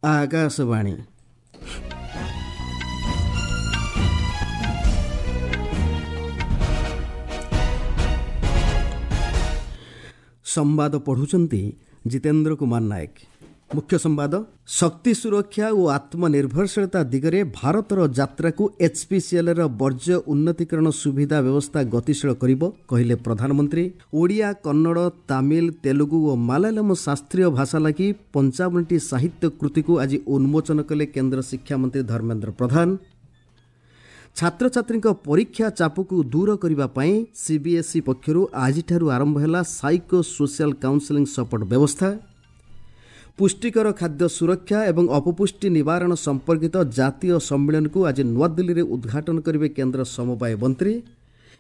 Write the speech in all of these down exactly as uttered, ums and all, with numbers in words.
ଆକାଶବାଣୀ। ସମ୍ବାଦ ପଢ଼ୁଛନ୍ତି ଜିତେନ୍ଦ୍ର କୁମାର ନାୟକ। ମୁଖ୍ୟ ସମ୍ବାଦ। ଶକ୍ତି ସୁରକ୍ଷା ଓ ଆତ୍ମନିର୍ଭରଶୀଳତା ଦିଗରେ ଭାରତର ଯାତ୍ରାକୁ ଏଚ୍ପିସିଏଲ୍ର ବର୍ଜ୍ୟ ଉନ୍ନତିକରଣ ସୁବିଧା ବ୍ୟବସ୍ଥା ଗତିଶୀଳ କରିବ, କହିଲେ ପ୍ରଧାନମନ୍ତ୍ରୀ। ଓଡ଼ିଆ, କନ୍ନଡ଼, ତାମିଲ, ତେଲୁଗୁ ଓ ମାଲାୟାଲମ ଶାସ୍ତ୍ରୀୟ ଭାଷା ଲାଗି ପଞ୍ଚାବନଟି ସାହିତ୍ୟ କୃତିକୁ ଆଜି ଉନ୍ମୋଚନ କଲେ କେନ୍ଦ୍ର ଶିକ୍ଷାମନ୍ତ୍ରୀ ଧର୍ମେନ୍ଦ୍ର ପ୍ରଧାନ। ଛାତ୍ରଛାତ୍ରୀଙ୍କ ପରୀକ୍ଷା ଚାପକୁ ଦୂର କରିବା ପାଇଁ ସିବିଏସ୍ଇ ପକ୍ଷରୁ ଆଜିଠାରୁ ଆରମ୍ଭ ହେଲା ସାଇକୋ ସୋସିଆଲ କାଉନସେଲିଂ ସପୋର୍ଟ ବ୍ୟବସ୍ଥା। ପୁଷ୍ଟିକର ଖାଦ୍ୟ ସୁରକ୍ଷା ଏବଂ ଅପପୁଷ୍ଟି ନିବାରଣ ସମ୍ପର୍କିତ ଜାତୀୟ ସମ୍ମିଳନୀକୁ ଆଜି ନୂଆଦିଲ୍ଲୀରେ ଉଦ୍ଘାଟନ କରିବେ କେନ୍ଦ୍ର ସମବାୟ ମନ୍ତ୍ରୀ।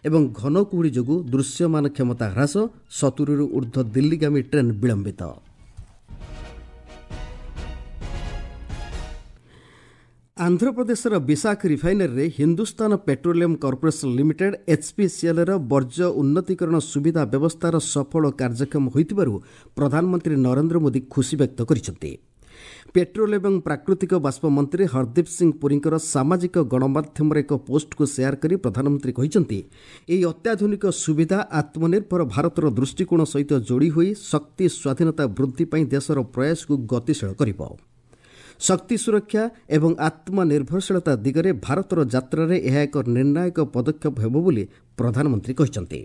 ଏବଂ ଘନ କୁହୁଡ଼ି ଯୋଗୁଁ ଦୃଶ୍ୟମାନ କ୍ଷମତା ହ୍ରାସ, ସତୁରିରୁ ଉର୍ଦ୍ଧ୍ୱ ଦିଲ୍ଲୀଗାମୀ ଟ୍ରେନ୍ ବିଳମ୍ବିତ। ଆନ୍ଧ୍ରପ୍ରଦେଶର ବିଶାଖ ରିଫାଇନାରୀରେ ହିନ୍ଦୁସ୍ତାନ ପେଟ୍ରୋଲିୟମ କର୍ପୋରେସନ ଲିମିଟେଡ୍ ଏଚ୍ପିସିଏଲ୍ର ବର୍ଜ୍ୟ ଉନ୍ନତିକରଣ ସୁବିଧା ବ୍ୟବସ୍ଥାର ସଫଳ କାର୍ଯ୍ୟକ୍ଷମ ହୋଇଥିବାରୁ ପ୍ରଧାନମନ୍ତ୍ରୀ ନରେନ୍ଦ୍ର ମୋଦି ଖୁସି ବ୍ୟକ୍ତ କରିଛନ୍ତି। ପେଟ୍ରୋଲ ଏବଂ ପ୍ରାକୃତିକ ବାଷ୍ପ ମନ୍ତ୍ରୀ ହରଦୀପ ସିଂ ପୁରୀଙ୍କର ସାମାଜିକ ଗଣମାଧ୍ୟମରେ ଏକ ପୋଷ୍ଟକୁ ସେୟାର କରି ପ୍ରଧାନମନ୍ତ୍ରୀ କହିଛନ୍ତି, ଏହି ଅତ୍ୟାଧୁନିକ ସୁବିଧା ଆତ୍ମନିର୍ଭର ଭାରତର ଦୃଷ୍ଟିକୋଣ ସହିତ ଯୋଡ଼ି ହୋଇ ଶକ୍ତି ସ୍ୱାଧୀନତା ବୃଦ୍ଧି ପାଇଁ ଦେଶର ପ୍ରୟାସକୁ ଗତିଶୀଳ କରିବ। ଶକ୍ତି ସୁରକ୍ଷା ଏବଂ ଆତ୍ମନିର୍ଭରଶୀଳତା ଦିଗରେ ଭାରତର ଯାତ୍ରାରେ ଏହା ଏକ ନିର୍ଣ୍ଣାୟକ ପଦକ୍ଷେପ ହେବ ବୋଲି ପ୍ରଧାନମନ୍ତ୍ରୀ କହିଛନ୍ତି।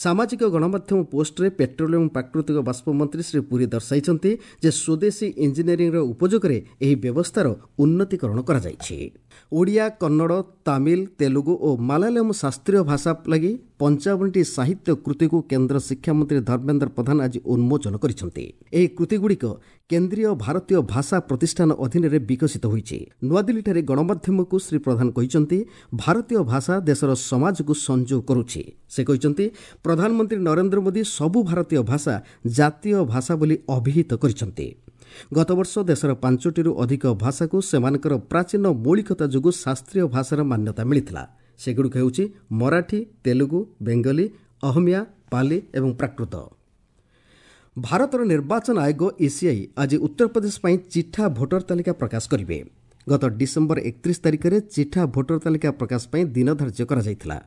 ସାମାଜିକ ଗଣମାଧ୍ୟମ ପୋଷ୍ଟରେ ପେଟ୍ରୋଲିୟମ ପ୍ରାକୃତିକ ବାଷ୍ପ ମନ୍ତ୍ରୀ ଶ୍ରୀ ପୁରୀ ଦର୍ଶାଇଛନ୍ତି ଯେ ସ୍ୱଦେଶୀ ଇଞ୍ଜିନିୟରିଂର ଉପଯୋଗରେ ଏହି ବ୍ୟବସ୍ଥାର ଉନ୍ନତିକରଣ କରାଯାଇଛି। ଓଡ଼ିଆ, କନ୍ନଡ଼, ତାମିଲ, ତେଲୁଗୁ ଓ ମାଲାୟାଲମ ଶାସ୍ତ୍ରୀୟ ଭାଷା ଲାଗି ପଞ୍ଚାବନଟି ସାହିତ୍ୟ କୃତିକୁ କେନ୍ଦ୍ର ଶିକ୍ଷାମନ୍ତ୍ରୀ ଧର୍ମେନ୍ଦ୍ର ପ୍ରଧାନ ଆଜି ଉନ୍ମୋଚନ କରିଛନ୍ତି। ଏହି କୃତିଗୁଡ଼ିକ କେନ୍ଦ୍ରୀୟ ଭାରତୀୟ ଭାଷା ପ୍ରତିଷ୍ଠାନ ଅଧୀନରେ ବିକଶିତ ହୋଇଛି। ନୂଆଦିଲ୍ଲୀଠାରେ ଗଣମାଧ୍ୟମକୁ ଶ୍ରୀ ପ୍ରଧାନ କହିଛନ୍ତି, ଭାରତୀୟ ଭାଷା ଦେଶର ସମାଜକୁ ସଂଯୋଗ କରୁଛି। ସେ କହିଛନ୍ତି, ପ୍ରଧାନମନ୍ତ୍ରୀ ନରେନ୍ଦ୍ର ମୋଦି ସବୁ ଭାରତୀୟ ଭାଷା ଜାତୀୟ ଭାଷା ବୋଲି ଅଭିହିତ କରିଛନ୍ତି। ଗତବର୍ଷ ଦେଶର ପାଞ୍ଚଟିରୁ ଅଧିକ ଭାଷାକୁ ସେମାନଙ୍କର ପ୍ରାଚୀନ ମୌଳିକତା ଯୋଗୁଁ ଶାସ୍ତ୍ରୀୟ ଭାଷାର ମାନ୍ୟତା ମିଳିଥିଲା। ସେଗୁଡ଼ିକ ହେଉଛି ମରାଠୀ, ତେଲୁଗୁ, ବେଙ୍ଗଲୀ, ଅହମିଆ, ପାଲି ଏବଂ ପ୍ରାକୃତ। ଭାରତର ନିର୍ବାଚନ ଆୟୋଗ ଇସିଆଇ ଆଜି ଉତ୍ତରପ୍ରଦେଶ ପାଇଁ ଚିଠା ଭୋଟର ତାଲିକା ପ୍ରକାଶ କରିବେ। ଗତ ଡିସେମ୍ବର ଏକତିରିଶ ତାରିଖରେ ଚିଠା ଭୋଟର ତାଲିକା ପ୍ରକାଶ ପାଇଁ ଦିନ ଧାର୍ଯ୍ୟ କରାଯାଇଥିଲା।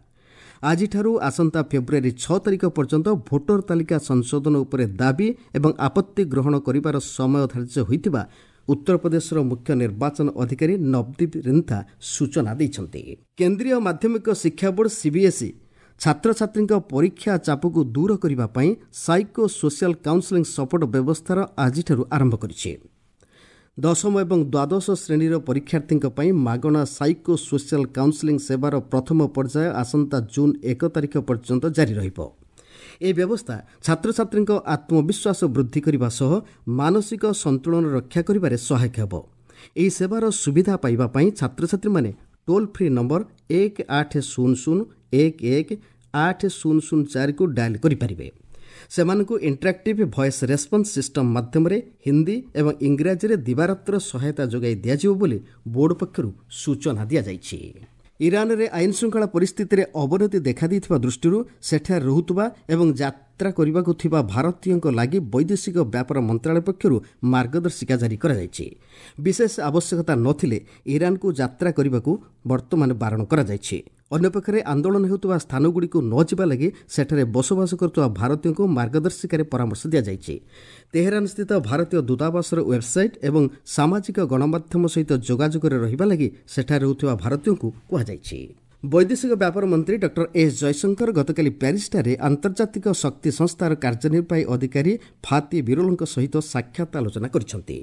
ଆଜିଠାରୁ ଆସନ୍ତା ଫେବୃଆରୀ ଛଅ ତାରିଖ ପର୍ଯ୍ୟନ୍ତ ଭୋଟର ତାଲିକା ସଂଶୋଧନ ଉପରେ ଦାବି ଏବଂ ଆପତ୍ତି ଗ୍ରହଣ କରିବାର ସମୟ ଧାର୍ଯ୍ୟ ହୋଇଥିବା ଉତ୍ତରପ୍ରଦେଶର ମୁଖ୍ୟ ନିର୍ବାଚନ ଅଧିକାରୀ ନବଦୀପ ରିନ୍ଥା ସୂଚନା ଦେଇଛନ୍ତି। କେନ୍ଦ୍ରୀୟ ମାଧ୍ୟମିକ ଶିକ୍ଷା ବୋର୍ଡ ସିବିଏସ୍ଇ ଛାତ୍ରଛାତ୍ରୀଙ୍କ ପରୀକ୍ଷା ଚାପକୁ ଦୂର କରିବା ପାଇଁ ସାଇକୋ ସୋସିଆଲ କାଉନସେଲିଂ ସପୋର୍ଟ ବ୍ୟବସ୍ଥାର ଆଜିଠାରୁ ଆରମ୍ଭ କରିଛି। ଦଶମ ଏବଂ ଦ୍ୱାଦଶ ଶ୍ରେଣୀର ପରୀକ୍ଷାର୍ଥୀଙ୍କ ପାଇଁ ମାଗଣା ସାଇକୋ ସୋସିଆଲ କାଉନସେଲିଂ ସେବାର ପ୍ରଥମ ପର୍ଯ୍ୟାୟ ଆସନ୍ତା ଜୁନ୍ ଏକ ତାରିଖ ପର୍ଯ୍ୟନ୍ତ ଜାରି ରହିବ। ଏହି ବ୍ୟବସ୍ଥା ଛାତ୍ରଛାତ୍ରୀଙ୍କ ଆତ୍ମବିଶ୍ୱାସ ବୃଦ୍ଧି କରିବା ସହ ମାନସିକ ସନ୍ତୁଳନ ରକ୍ଷା କରିବାରେ ସହାୟକ ହେବ। ଏହି ସେବାର ସୁବିଧା ପାଇବା ପାଇଁ ଛାତ୍ରଛାତ୍ରୀମାନେ ଟୋଲ୍ ଫ୍ରି ନମ୍ବର ଏକ ଆଠ ଶୂନ ଶୂନ ଏକ ଏକ ଆଠ ଶୂନ ଶୂନ ଚାରିକୁ ଡାଏଲ୍ କରିପାରିବେ। ସେମାନଙ୍କୁ ଇଣ୍ଟରାକ୍ଟିଭ୍ ଭଏସ୍ ରେସ୍ପନ୍ସ ସିଷ୍ଟମ୍ ମାଧ୍ୟମରେ ହିନ୍ଦୀ ଏବଂ ଇଂରାଜୀରେ ଦିବାରାତ୍ର ସହାୟତା ଯୋଗାଇ ଦିଆଯିବ ବୋଲି ବୋର୍ଡ ପକ୍ଷରୁ ସୂଚନା ଦିଆଯାଇଛି। ଇରାନରେ ଆଇନ ଶୃଙ୍ଖଳା ପରିସ୍ଥିତିରେ ଅବନତି ଦେଖାଦେଇଥିବା ଦୃଷ୍ଟିରୁ ସେଠାରେ ରହୁଥିବା ଏବଂ ଯାତ୍ରା କରିବାକୁ ଥିବା ଭାରତୀୟଙ୍କ ଲାଗି ବୈଦେଶିକ ବ୍ୟାପାର ମନ୍ତ୍ରଣାଳୟ ପକ୍ଷରୁ ମାର୍ଗଦର୍ଶିକା ଜାରି କରାଯାଇଛି। ବିଶେଷ ଆବଶ୍ୟକତା ନଥିଲେ ଇରାନକୁ ଯାତ୍ରା କରିବାକୁ ବର୍ତ୍ତମାନ ବାରଣ କରାଯାଇଛି। ଅନ୍ୟପକ୍ଷରେ ଆନ୍ଦୋଳନ ହେଉଥିବା ସ୍ଥାନଗୁଡ଼ିକୁ ନ ଯିବା ଲାଗି ସେଠାରେ ବସବାସ କରୁଥିବା ଭାରତୀୟଙ୍କୁ ମାର୍ଗଦର୍ଶିକାରେ ପରାମର୍ଶ ଦିଆଯାଇଛି। ତେହେରାନସ୍ଥିତ ଭାରତୀୟ ଦୂତାବାସର ୱେବ୍ସାଇଟ୍ ଏବଂ ସାମାଜିକ ଗଣମାଧ୍ୟମ ସହିତ ଯୋଗାଯୋଗରେ ରହିବା ଲାଗି ସେଠାରେ ରହୁଥିବା ଭାରତୀୟଙ୍କୁ କୁହାଯାଇଛି। ବୈଦେଶିକ ବ୍ୟାପାର ମନ୍ତ୍ରୀ ଡକ୍ଟର ଏସ୍ ଜୟଶଙ୍କର ଗତକାଲି ପ୍ୟାରିସଠାରେ ଆନ୍ତର୍ଜାତିକ ଶକ୍ତି ସଂସ୍ଥାର କାର୍ଯ୍ୟନିର୍ବାହୀ ଅଧିକାରୀ ଫାତି ବିରୋଲଙ୍କ ସହିତ ସାକ୍ଷାତ ଆଲୋଚନା କରିଛନ୍ତି।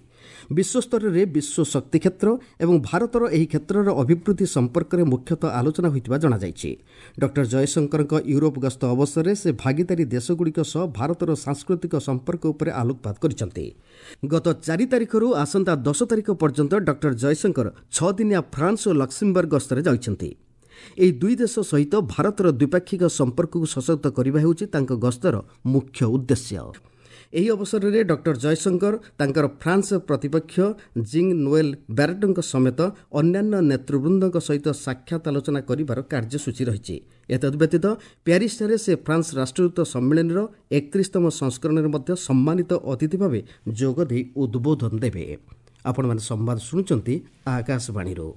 ବିଶ୍ୱସ୍ତରରେ ବିଶ୍ୱ ଶକ୍ତି କ୍ଷେତ୍ର ଏବଂ ଭାରତର ଏହି କ୍ଷେତ୍ରର ଅଭିବୃଦ୍ଧି ସମ୍ପର୍କରେ ମୁଖ୍ୟତଃ ଆଲୋଚନା ହୋଇଥିବା ଜଣାଯାଇଛି। ଡକ୍ଟର ଜୟଶଙ୍କରଙ୍କ ୟୁରୋପ ଗସ୍ତ ଅବସରରେ ସେ ଭାଗିଦାରୀ ଦେଶଗୁଡ଼ିକ ସହ ଭାରତର ସାଂସ୍କୃତିକ ସମ୍ପର୍କ ଉପରେ ଆଲୋକପାତ କରିଛନ୍ତି। ଗତ ଚାରି ତାରିଖରୁ ଆସନ୍ତା ଦଶ ତାରିଖ ପର୍ଯ୍ୟନ୍ତ ଡକ୍ଟର ଜୟଶଙ୍କର ଛଅ ଦିନିଆ ଫ୍ରାନ୍ସ ଓ ଲକ୍ସେମବର୍ଗ ଗସ୍ତରେ ଯାଉଛନ୍ତି। ଏହି ଦୁଇ ଦେଶ ସହିତ ଭାରତର ଦ୍ୱିପାକ୍ଷିକ ସମ୍ପର୍କକୁ ସଶକ୍ତ କରିବା ହେଉଛି ତାଙ୍କ ଗସ୍ତର ମୁଖ୍ୟ ଉଦ୍ଦେଶ୍ୟ। ଏହି ଅବସରରେ ଡକ୍ଟର ଜୟଶଙ୍କର ତାଙ୍କର ଫ୍ରାନ୍ସ ପ୍ରତିପକ୍ଷ ଜିଙ୍ଗ୍ ନୋଏଲ୍ ବ୍ୟାରେଟଙ୍କ ସମେତ ଅନ୍ୟାନ୍ୟ ନେତୃବୃନ୍ଦଙ୍କ ସହିତ ସାକ୍ଷାତ ଆଲୋଚନା କରିବାର କାର୍ଯ୍ୟସୂଚୀ ରହିଛି। ଏତଦ୍ବ୍ୟତୀତ ପ୍ୟାରିସଠାରେ ସେ ଫ୍ରାନ୍ସ ରାଷ୍ଟ୍ରଦୂତ ସମ୍ମିଳନୀର ଏକତିରିଶତମ ସଂସ୍କରଣରେ ମଧ୍ୟ ସମ୍ମାନିତ ଅତିଥି ଭାବେ ଯୋଗଦେଇ ଉଦ୍ବୋଧନ ଦେବେ। ଆପଣମାନେ ସମ୍ବାଦ ଶୁଣୁଛନ୍ତି ଆକାଶବାଣୀରୁ।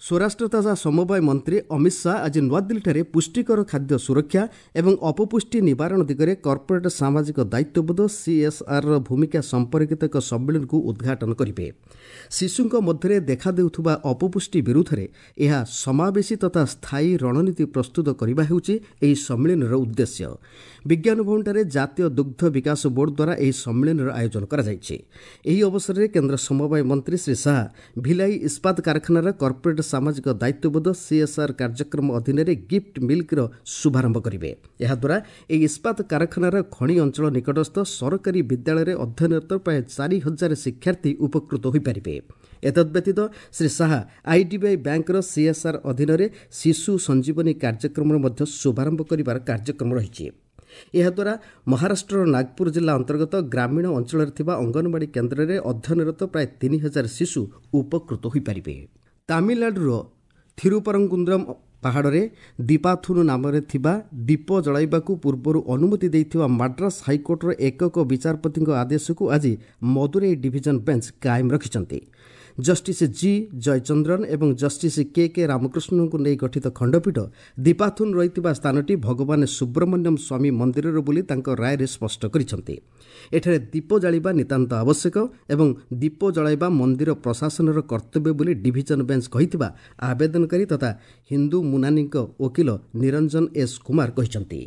ସ୍ୱରାଷ୍ଟ୍ର ତଥା ସମବାୟ ମନ୍ତ୍ରୀ ଅମିତ ଶାହା ଆଜି ନୂଆଦିଲ୍ଲୀଠାରେ ପୁଷ୍ଟିକର ଖାଦ୍ୟ ସୁରକ୍ଷା ଏବଂ ଅପପୁଷ୍ଟି ନିବାରଣ ଦିଗରେ କର୍ପୋରେଟ୍ ସାମାଜିକ ଦାୟିତ୍ୱବୋଧ ସିଏସ୍ଆର୍ର ଭୂମିକା ସମ୍ପର୍କିତ ଏକ ସମ୍ମିଳନୀକୁ ଉଦ୍ଘାଟନ କରିବେ। ଶିଶୁଙ୍କ ମଧ୍ୟରେ ଦେଖାଦେଉଥିବା ଅପପୁଷ୍ଟି ବିରୁଦ୍ଧରେ ଏହା ସମାବେଶୀ ତଥା ସ୍ଥାୟୀ ରଣନୀତି ପ୍ରସ୍ତୁତ କରିବା ହେଉଛି ଏହି ସମ୍ମିଳନୀର ଉଦ୍ଦେଶ୍ୟ। ବିଜ୍ଞାନ ଭବନଠାରେ ଜାତୀୟ ଦୁଗ୍ଧ ବିକାଶ ବୋର୍ଡ ଦ୍ୱାରା ଏହି ସମ୍ମିଳନୀର ଆୟୋଜନ କରାଯାଇଛି। ଏହି ଅବସରରେ କେନ୍ଦ୍ର ସମବାୟ ମନ୍ତ୍ରୀ ଶ୍ରୀ ଶାହା ଭିଲାଇ ଇସ୍ପାତ କାରଖାନାର କର୍ପୋରେଟ୍ ସାମାଜିକ ଦାୟିତ୍ୱବୋଧ ସିଏସ୍ଆର୍ କାର୍ଯ୍ୟକ୍ରମ ଅଧୀନରେ ଗିଫ୍ଟ ମିଲ୍କର ଶୁଭାରମ୍ଭ କରିବେ। ଏହାଦ୍ୱାରା ଏହି ଇସ୍ପାତ କାରଖାନାର ଖଣି ଅଞ୍ଚଳ ନିକଟସ୍ଥ ସରକାରୀ ବିଦ୍ୟାଳୟରେ ଅଧ୍ୟୟନରତ ପ୍ରାୟ ଚାରି ହଜାର ଶିକ୍ଷାର୍ଥୀ ଉପକୃତ ହୋଇପାରିବେ। ଏତଦ୍ବ୍ୟତୀତ ଶ୍ରୀ ଶାହା ଆଇଡିବିଆଇ ବ୍ୟାଙ୍କର ସିଏସ୍ଆର୍ ଅଧୀନରେ ଶିଶୁ ସଞ୍ଜୀବନୀ କାର୍ଯ୍ୟକ୍ରମର ମଧ୍ୟ ଶୁଭାରମ୍ଭ କରିବାର କାର୍ଯ୍ୟକ୍ରମ ରହିଛି। ଏହାଦ୍ୱାରା ମହାରାଷ୍ଟ୍ରର ନାଗପୁର ଜିଲ୍ଲା ଅନ୍ତର୍ଗତ ଗ୍ରାମୀଣ ଅଞ୍ଚଳରେ ଥିବା ଅଙ୍ଗନବାଡ଼ି କେନ୍ଦ୍ରରେ ଅଧ୍ୟୟନରତ ପ୍ରାୟ ତିନି ହଜାର ଶିଶୁ ଉପକୃତ ହୋଇପାରିବେ। ତାମିଲନାଡୁର ଥିରୁପରଙ୍କୁନ୍ଦ୍ରମ ପାହାଡ଼ରେ ଦୀପାଥୁନ ନାମରେ ଥିବା ଦୀପ ଜଳାଇବାକୁ ପୂର୍ବରୁ ଅନୁମତି ଦେଇଥିବା ମାଡ୍ରାସ ହାଇକୋର୍ଟର ଏକକ ବିଚାରପତିଙ୍କ ଆଦେଶକୁ ଆଜି ମଦୁରାଇ ଡିଭିଜନ ବେଞ୍ଚ କାଏମ ରଖିଛନ୍ତି। ଜଷ୍ଟିସ୍ ଜି ଜୟଚନ୍ଦ୍ରନ ଏବଂ ଜଷ୍ଟିସ୍ କେ କେ ରାମକୃଷ୍ଣଙ୍କୁ ନେଇ ଗଠିତ ଖଣ୍ଡପୀଠ ଦୀପାଥୁନ ରହିଥିବା ସ୍ଥାନଟି ଭଗବାନ ସୁବ୍ରମଣ୍ୟମ ସ୍ୱାମୀ ମନ୍ଦିରର ବୋଲି ତାଙ୍କ ରାୟରେ ସ୍ପଷ୍ଟ କରିଛନ୍ତି। ଏଠାରେ ଦୀପ ଜାଳିବା ନିତାନ୍ତ ଆବଶ୍ୟକ ଏବଂ ଦୀପ ଜଳାଇବା ମନ୍ଦିର ପ୍ରଶାସନର କର୍ତ୍ତବ୍ୟ ବୋଲି ଡିଭିଜନ ବେଞ୍ଚ କହିଥିବା ଆବେଦନକାରୀ ତଥା ହିନ୍ଦୁ ମୁନାନୀଙ୍କ ଓକିଲ ନିରଞ୍ଜନ ଏସ୍ କୁମାର କହିଛନ୍ତି।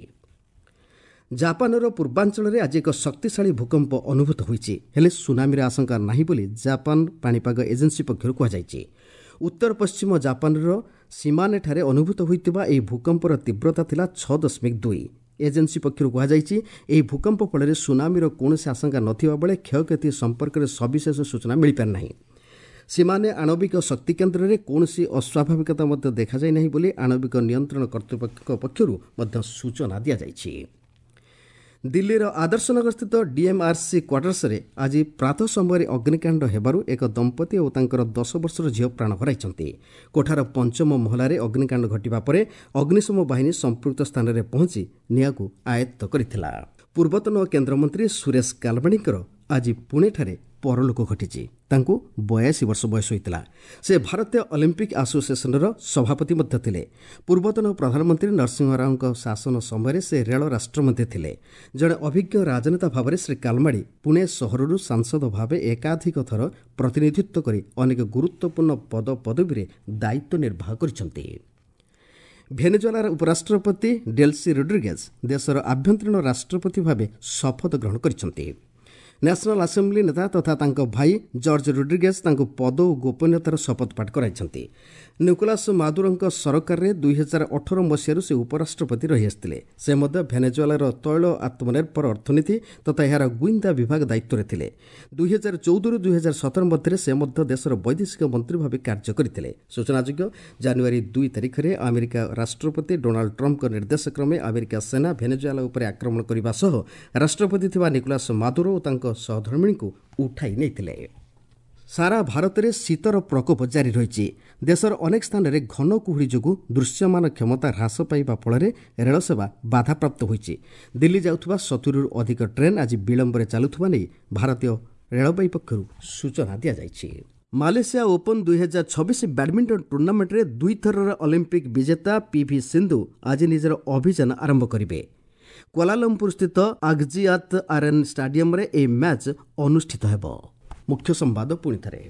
ଜାପାନର ପୂର୍ବାଞ୍ଚଳରେ ଆଜି ଏକ ଶକ୍ତିଶାଳୀ ଭୂକମ୍ପ ଅନୁଭୂତ ହୋଇଛି। ହେଲେ ସୁନାମିର ଆଶଙ୍କା ନାହିଁ ବୋଲି ଜାପାନ ପାଣିପାଗ ଏଜେନ୍ସି ପକ୍ଷରୁ କୁହାଯାଇଛି। ଉତ୍ତର ପଶ୍ଚିମ ଜାପାନର ସୀମାନେଠାରେ ଅନୁଭୂତ ହୋଇଥିବା ଏହି ଭୂକମ୍ପର ତୀବ୍ରତା ଥିଲା ଛଅ ଦଶମିକ ଦୁଇ। ଏଜେନ୍ସି ପକ୍ଷରୁ କୁହାଯାଇଛି, ଏହି ଭୂକମ୍ପ ଫଳରେ ସୁନାମିର କୌଣସି ଆଶଙ୍କା ନଥିବା ବେଳେ କ୍ଷୟକ୍ଷତି ସମ୍ପର୍କରେ ସବିଶେଷ ସୂଚନା ମିଳିପାରିନାହିଁ। ସୀମାନେ ଆଣବିକ ଶକ୍ତି କେନ୍ଦ୍ରରେ କୌଣସି ଅସ୍ୱାଭାବିକତା ମଧ୍ୟ ଦେଖାଯାଇ ନାହିଁ ବୋଲି ଆଣବିକ ନିୟନ୍ତ୍ରଣ କର୍ତ୍ତୃପକ୍ଷଙ୍କ ପକ୍ଷରୁ ମଧ୍ୟ ସୂଚନା ଦିଆଯାଇଛି। ଦିଲ୍ଲୀର ଆଦର୍ଶନଗରସ୍ଥିତ ଡିଏମ୍ଆର୍ସି କ୍ୱାର୍ଟର୍ସରେ ଆଜି ପ୍ରାତଃ ସମୟରେ ଅଗ୍ନିକାଣ୍ଡ ହେବାରୁ ଏକ ଦମ୍ପତି ଓ ତାଙ୍କର ଦଶ ବର୍ଷର ଝିଅ ପ୍ରାଣ ହରାଇଛନ୍ତି। କୋଠାର ପଞ୍ଚମ ମହଲାରେ ଅଗ୍ନିକାଣ୍ଡ ଘଟିବା ପରେ ଅଗ୍ନିଶମ ବାହିନୀ ସମ୍ପୃକ୍ତ ସ୍ଥାନରେ ପହଞ୍ଚି ନିଆଁକୁ ଆୟତ୍ତ କରିଥିଲା। ପୂର୍ବତନ କେନ୍ଦ୍ରମନ୍ତ୍ରୀ ସୁରେଶ କାଲବାଣୀଙ୍କର ଆଜି ପୁଣେଠାରେ ପରଲୋକ ଘଟିଛି। ତାଙ୍କୁ ବୟାଅଶୀ ବର୍ଷ ବୟସ ହୋଇଥିଲା। ସେ ଭାରତୀୟ ଅଲିମ୍ପିକ୍ ଆସୋସିଏସନର ସଭାପତି ମଧ୍ୟ ଥିଲେ। ପୂର୍ବତନ ପ୍ରଧାନମନ୍ତ୍ରୀ ନରସିଂହ ରାଓଙ୍କ ଶାସନ ସମୟରେ ସେ ରେଳ ରାଷ୍ଟ୍ରମନ୍ତ୍ରୀ ଥିଲେ। ଜଣେ ଅଭିଜ୍ଞ ରାଜନେତା ଭାବରେ ଶ୍ରୀ କାଲମାଡ଼ି ପୁଣେ ସହରରୁ ସାଂସଦ ଭାବେ ଏକାଧିକ ଥର ପ୍ରତିନିଧିତ୍ୱ କରି ଅନେକ ଗୁରୁତ୍ୱପୂର୍ଣ୍ଣ ପଦପଦବୀରେ ଦାୟିତ୍ୱ ନିର୍ବାହ କରିଛନ୍ତି। ଭେନେଜୁଏଲାର ଉପରାଷ୍ଟ୍ରପତି ଡେଲ୍ସି ରୋଡ୍ରିଗେଜ୍ ଦେଶର ଆଭ୍ୟନ୍ତରୀଣ ରାଷ୍ଟ୍ରପତି ଭାବେ ଶପଥ ଗ୍ରହଣ କରିଛନ୍ତି। ନ୍ୟାସନାଲ୍ ଆସେମ୍ବଲି ନେତା ତଥା ତାଙ୍କ ଭାଇ ଜର୍ଜ ରୋଡ୍ରିଗେଜ୍ ତାଙ୍କୁ ପଦ ଓ ଗୋପନୀୟତାର ଶପଥପାଠ କରାଇଛନ୍ତି। ନିକୋଲାସ ମାଦୁରୋଙ୍କ ସରକାରରେ ଦୁଇ ହଜାର ଅଠର ମସିହାରୁ ସେ ଉପରାଷ୍ଟ୍ରପତି ରହିଆସିଥିଲେ। ସେ ମଧ୍ୟ ଭେନେଜୁଏଲାର ତୈଳ ଆତ୍ମନିର୍ଭର ଅର୍ଥନୀତି ତଥା ଏହାର ଗୁଇନ୍ଦା ବିଭାଗ ଦାୟିତ୍ୱରେ ଥିଲେ। ଦୁଇ ହଜାର ଚଉଦରୁ ଦୁଇ ହଜାର ସତର ମଧ୍ୟରେ ସେ ମଧ୍ୟ ଦେଶର ବୈଦେଶିକ ମନ୍ତ୍ରୀ ଭାବେ କାର୍ଯ୍ୟ କରିଥିଲେ। ସୂଚନାଯୋଗ୍ୟ, ଜାନୁଆରୀ ଦୁଇ ତାରିଖରେ ଆମେରିକା ରାଷ୍ଟ୍ରପତି ଡୋନାଲ୍ଡ ଟ୍ରମ୍ପଙ୍କ ନିର୍ଦ୍ଦେଶକ୍ରମେ ଆମେରିକା ସେନା ଭେନେଜୁଏଲା ଉପରେ ଆକ୍ରମଣ କରିବା ସହ ରାଷ୍ଟ୍ରପତି ଥିବା ନିକୋଲାସ ମାଦୁରୋ ଓ ତାଙ୍କ ସହଧର୍ମିଣୀଙ୍କୁ ଉଠାଇ ନେଇଥିଲେ। ସାରା ଭାରତରେ ଶୀତର ପ୍ରକୋପ ଜାରି ରହିଛି। ଦେଶର ଅନେକ ସ୍ଥାନରେ ଘନ କୁହୁଡ଼ି ଯୋଗୁଁ ଦୃଶ୍ୟମାନ କ୍ଷମତା ହ୍ରାସ ପାଇବା ଫଳରେ ରେଳସେବା ବାଧାପ୍ରାପ୍ତ ହୋଇଛି। ଦିଲ୍ଲୀ ଯାଉଥିବା ସତୁରିରୁ ଅଧିକ ଟ୍ରେନ୍ ଆଜି ବିଳମ୍ବରେ ଚାଲୁଥିବା ନେଇ ଭାରତୀୟ ରେଳବାଇ ପକ୍ଷରୁ ସୂଚନା ଦିଆଯାଇଛି। ମାଲେସିଆ ଓପନ୍ ଦୁଇ ହଜାର ଛବିଶ ବ୍ୟାଡମିଣ୍ଟନ ଟୁର୍ଣ୍ଣାମେଣ୍ଟରେ ଦୁଇଥରର ଅଲିମ୍ପିକ୍ ବିଜେତା ପିଭି ସିନ୍ଧୁ ଆଜି ନିଜର ଅଭିଯାନ ଆରମ୍ଭ କରିବେ। କ୍ୱାଲାଲମ୍ପୁରସ୍ଥିତ ଆଗଜିଆତ ଆର୍ଏନ୍ ଷ୍ଟାଡିୟମରେ ଏହି ମ୍ୟାଚ୍ ଅନୁଷ୍ଠିତ ହେବ। ମୁଖ୍ୟ ସମ୍ବାଦ ପୁଣିଥରେ।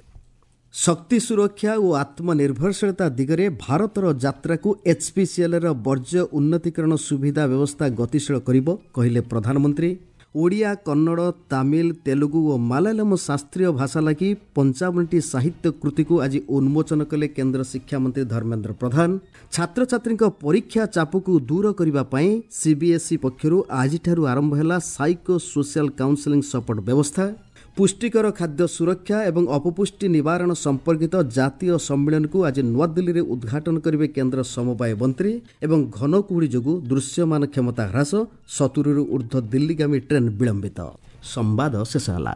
ଶକ୍ତି ସୁରକ୍ଷା ଓ ଆତ୍ମନିର୍ଭରଶୀଳତା ଦିଗରେ ଭାରତର ଯାତ୍ରାକୁ ଏଚ୍ପିସିଏଲ୍ର ବର୍ଜ୍ୟ ଉନ୍ନତିକରଣ ସୁବିଧା ବ୍ୟବସ୍ଥା ଗତିଶୀଳ କରିବ, କହିଲେ ପ୍ରଧାନମନ୍ତ୍ରୀ। ଓଡ଼ିଆ, କନ୍ନଡ଼, ତାମିଲ, ତେଲୁଗୁ ଓ ମାଲାୟାଲମ ଶାସ୍ତ୍ରୀୟ ଭାଷା ଲାଗି ପଞ୍ଚାବନଟି ସାହିତ୍ୟ କୃତିକୁ ଆଜି ଉନ୍ମୋଚନ କଲେ କେନ୍ଦ୍ର ଶିକ୍ଷାମନ୍ତ୍ରୀ ଧର୍ମେନ୍ଦ୍ର ପ୍ରଧାନ। ଛାତ୍ରଛାତ୍ରୀଙ୍କ ପରୀକ୍ଷା ଚାପକୁ ଦୂର କରିବା ପାଇଁ ସିବିଏସ୍ଇ ପକ୍ଷରୁ ଆଜିଠାରୁ ଆରମ୍ଭ ହେଲା ସାଇକୋ ସୋସିଆଲ କାଉନସେଲିଂ ସପୋର୍ଟ ବ୍ୟବସ୍ଥା। ପୁଷ୍ଟିକର ଖାଦ୍ୟ ସୁରକ୍ଷା ଏବଂ ଅପପୁଷ୍ଟି ନିବାରଣ ସମ୍ପର୍କିତ ଜାତୀୟ ସମ୍ମିଳନୀକୁ ଆଜି ନୂଆଦିଲ୍ଲୀରେ ଉଦ୍ଘାଟନ କରିବେ କେନ୍ଦ୍ର ସମବାୟ ମନ୍ତ୍ରୀ। ଏବଂ ଘନ କୁହୁଡ଼ି ଯୋଗୁଁ ଦୃଶ୍ୟମାନ କ୍ଷମତା ହ୍ରାସ, ସତୁରିରୁ ଉର୍ଦ୍ଧ୍ୱ ଦିଲ୍ଲୀଗାମୀ ଟ୍ରେନ୍ ବିଳମ୍ବିତ। ସମ୍ବାଦ ଶେଷ ହେଲା।